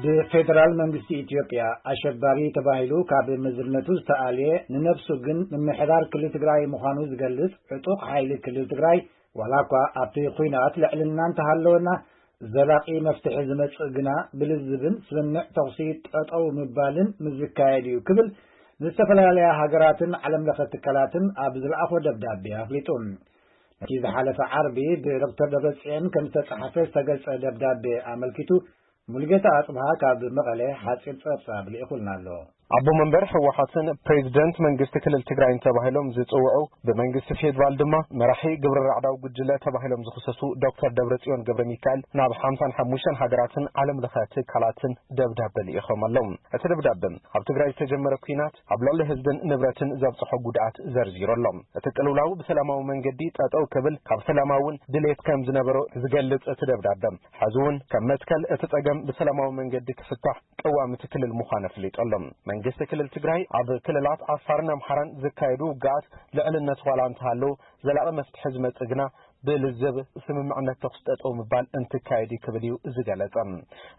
ብፌደራል መንግስቲ ኢትዮጵያ ኣሸባሪ ተባሂሉ ካብ ምዝርነቱ ዝተኣልየ፣ ንነብሱ ግን ምምሕዳር ክልል ትግራይ ምዃኑ ዝገልጽ ዕጡቕ ሓይሊ ክልል ትግራይ፣ ዋላ እኳ ኣብቲ ኲናት ልዕልና እንተሃለወና፣ ዘላቒ መፍትሒ ዝመጽእ ግና ብልዝብን ስምምዕ ተኹሲ ጠጠው ምባልን ምስ ዝካየድ እዩ ክብል፣ ንዝተፈላለያ ሃገራትን ዓለም ለኸ ትካላትን ኣብ ዝለኣኾ ደብዳቤ ኣፍሊጡ። ነቲ ዝሓለፈ ዓርቢ ብዶክተር ደብረጽዮን ከም ዝተጻሕፈ ዝተገልጸ ደብዳቤ ኣመልኪቱ፣ ሙሉጌታ ኣጽብሃ ካብ መቐለ ሓጺር ጸብጻብ ልኢኹልና ኣሎ። ኣቦ መንበር ህወሓትን ፕሬዚደንት መንግስቲ ክልል ትግራይን ተባሂሎም ዝጽውዑ፣ ብመንግስቲ ፌዴራል ድማ መራሒ ግብረ ራዕዳዊ ጉጅለ ተባሂሎም ዝኽሰሱ ዶክተር ደብረጽዮን ገብረ ሚካኤል ናብ ሓምሳን ሓሙሽተን ሃገራትን ዓለም ለኸ ትካላትን ደብዳበ ልኢኾም ኣለዉ። እቲ ደብዳበ፣ ኣብ ትግራይ ዝተጀመረ ኲናት ኣብ ልዕሊ ህዝብን ንብረትን ዘብጽሖ ጉድኣት ዘርዚሩ ኣሎ። እቲ ቅልውላው ብሰላማዊ መንገዲ ጠጠው ክብል ካብ ሰላማውን ድሌት ከም ዝነበሮ ዝገልጽ እቲ ደብዳበ፣ ሕዚ እውን ከም መትከል እቲ ጸገም ብሰላማዊ መንገዲ ክፍታሕ ቀዋሚ እቲ ክልል ምዃኑ ኣፍሊጡ ኣሎ። መንግስቲ ክልል ትግራይ ኣብ ክልላት ዓፋርን ኣምሓራን ዝካየዱ ውግኣት ልዕልነት ዋላ እንተሃለዎ፣ ዘላቒ መፍትሒ ዝመጽእ ግና ብልዝብ ስምምዕነት ተኹሲ ጠጠው ምባል እንትካየድ እዩ ክብል እዩ ዝገለጸ።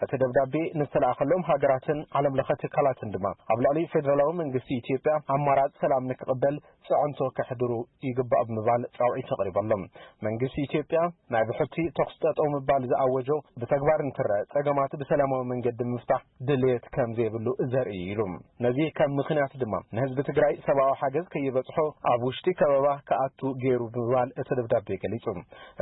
እቲ ደብዳቤ ንዝተላእኸሎም ሃገራትን ዓለም ለኸ ትካላትን ድማ ኣብ ልዕሊ ፌደራላዊ መንግስቲ ኢትዮጵያ ኣማራጺ ሰላም ንክቕበል ጽዕንቶ ከሕድሩ ይግባእ ብምባል ጻውዒት ኣቕሪቡ ኣሎ። መንግስቲ ኢትዮጵያ ናይ ብሕቲ ተኹሲ ጠጠው ምባል ዝኣወጆ ብተግባር እንትረአ፣ ጸገማት ብሰላማዊ መንገዲ ምፍታሕ ድሌት ከም ዘይብሉ ዘርኢ እዩ ኢሉ። ነዚ ከም ምኽንያት ድማ ንህዝቢ ትግራይ ሰብኣዊ ሓገዝ ከይበጽሖ ኣብ ውሽጢ ከበባ ክኣቱ ገይሩ ብምባል እቲ ደብዳቤ ገሊጹ።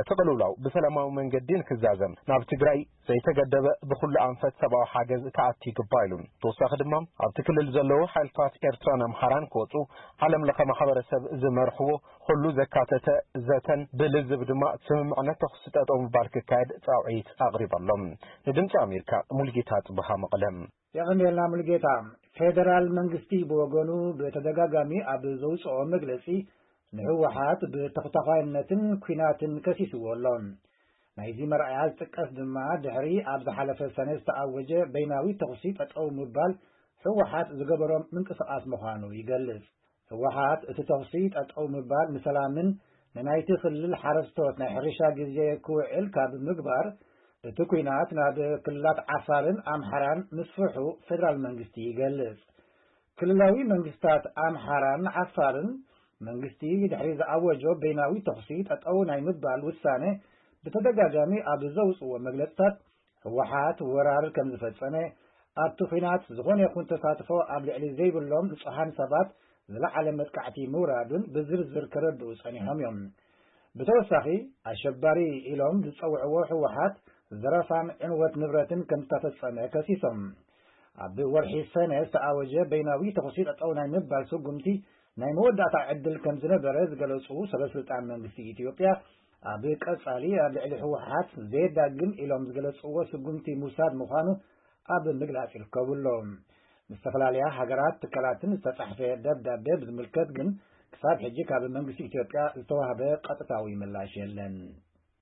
እቲ ቅልውላው ብሰላማዊ መንገዲ ንክዛዘም ናብ ትግራይ ዘይተገደበ ብኹሉ ኣንፈት ሰብኣዊ ሓገዝ ክኣቱ ይግባእ ኢሉ። ተወሳኺ ድማ ኣብቲ ክልል ዘለዉ ሓይልታት ኤርትራን ኣምሓራን ክወጹ፣ ዓለም ለኸ ማሕበረሰብ ዝመርሕዎ ኩሉ ዘካተተ ዘተን ብልዝብ ድማ ስምምዕነት ተኹሲ ጠጠው ምባል ክካየድ ጻውዒት ኣቕሪቡ ኣሎ። ንድምፂ ኣሜሪካ ሙልጌታ ጽብሃ መቐለ። የቐንየልና ሙልጌታ። ፌደራል መንግስቲ ብወገኑ ብተደጋጋሚ ኣብ ዘውፅኦ መግለፂ ንህወሓት ብተኽታኻይነትን ኲናትን ከሲስዎ ኣሎ። ናይዚ መርኣያ ዝጥቀስ ድማ ድሕሪ ኣብ ዝሓለፈ ሰነ ዝተኣወጀ በይናዊ ተኹሲ ጠጠው ምባል ህወሓት ዝገበሮ ምንቅስቓስ ምዃኑ ይገልጽ። ህወሓት እቲ ተኹሲ ጠጠው ምባል ንሰላምን ንናይቲ ክልል ሓረስቶት ናይ ሕርሻ ግዜ ክውዕል ካብ ምግባር፣ እቲ ኲናት ናብ ክልላት ዓፋርን ኣምሓራን ምስፍሑ ፌደራል መንግስቲ ይገልጽ። ክልላዊ መንግስታት ኣምሓራን ዓፋርን መንግስቲ ድሕሪ ዝኣወጆ በይናዊ ተኹሲ ጠጠው ናይ ምባል ውሳነ ብተደጋጋሚ ኣብ ዘውፅዎ መግለፅታት፣ ህወሓት ወራር ከም ዝፈጸመ፣ ኣብቲ ኲናት ዝኾነ ይኹን ተሳትፎ ኣብ ልዕሊ ዘይብሎም ንጹሃን ሰባት ዝለዓለ መጥቃዕቲ ምውራዱን ብዝርዝር ከረድኡ ጸኒሖም እዮም። ብተወሳኺ፣ ኣሸባሪ ኢሎም ዝጸውዕዎ ህወሓት ዘረፋን ዕንወት ንብረትን ከም ዝተፈጸመ ከሲሶም። ኣብ ወርሒ ሰነ ዝተኣወጀ በይናዊ ተኹሲ ጠጠው ናይ ምባል ስጉምቲ ናይ መወዳእታ ዕድል ከም ዝነበረ ዝገለጹ ሰበስልጣን መንግስቲ ኢትዮጵያ፣ ኣብ ቀጻሊ ኣብ ልዕሊ ህወሓት ዘየዳግም ኢሎም ዝገለጽዎ ስጉምቲ ምውሳድ ምዃኑ ኣብ ምግላጽ ይርከቡ ኣለዉ። ምስ ዝተፈላለያ ሃገራት ትካላትን ዝተጻሕፈ ደብዳቤ ብዝምልከት ግን ክሳብ ሕጂ ካብ መንግስቲ ኢትዮጵያ ዝተዋህበ ቀጥታዊ ምላሽ የለን።